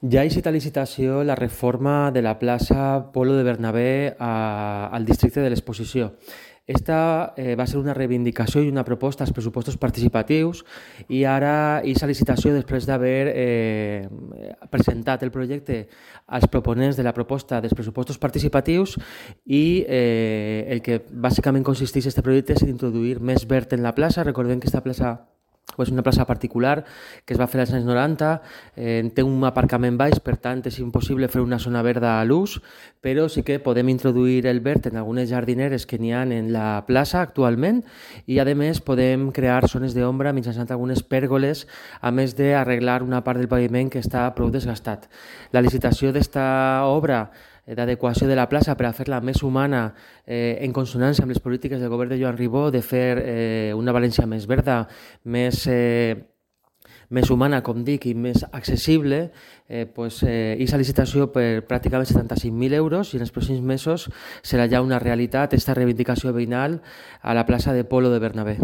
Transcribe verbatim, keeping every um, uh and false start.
Ja ha eixit a licitació la reforma de la plaça Polo de Bernabé a, al districte de l'Exposició. Esta eh, va ser una reivindicació i una proposta als pressupostos participatius i ara és a licitació després d'haver eh, presentat el projecte als proponents de la proposta dels pressupostos participatius i eh, el que bàsicament consisteix en aquest projecte és introduir més verd en la plaça. Recordem que aquesta plaça és una plaça particular que es va fer als anys noranta, eh, té un aparcament baix, per tant és impossible fer una zona verda a l'ús, però sí que podem introduir el verd en algunes jardineres que n'hi ha en la plaça actualment i a més podem crear zones d'ombra mitjançant algunes pèrgoles, a més d'arreglar una part del paviment que està prou desgastat. La licitació d'esta obra d'adequació de la plaça per a fer-la més humana eh, en consonància amb les polítiques del govern de Joan Ribó de fer eh, una València més verda, més, eh, més humana, com dic, i més accessible, eh, pues, eh, és a licitació per pràcticament setanta-cinc mil euros i en els pròxims mesos serà ja una realitat esta reivindicació veïnal a la plaça de Polo de Bernabé.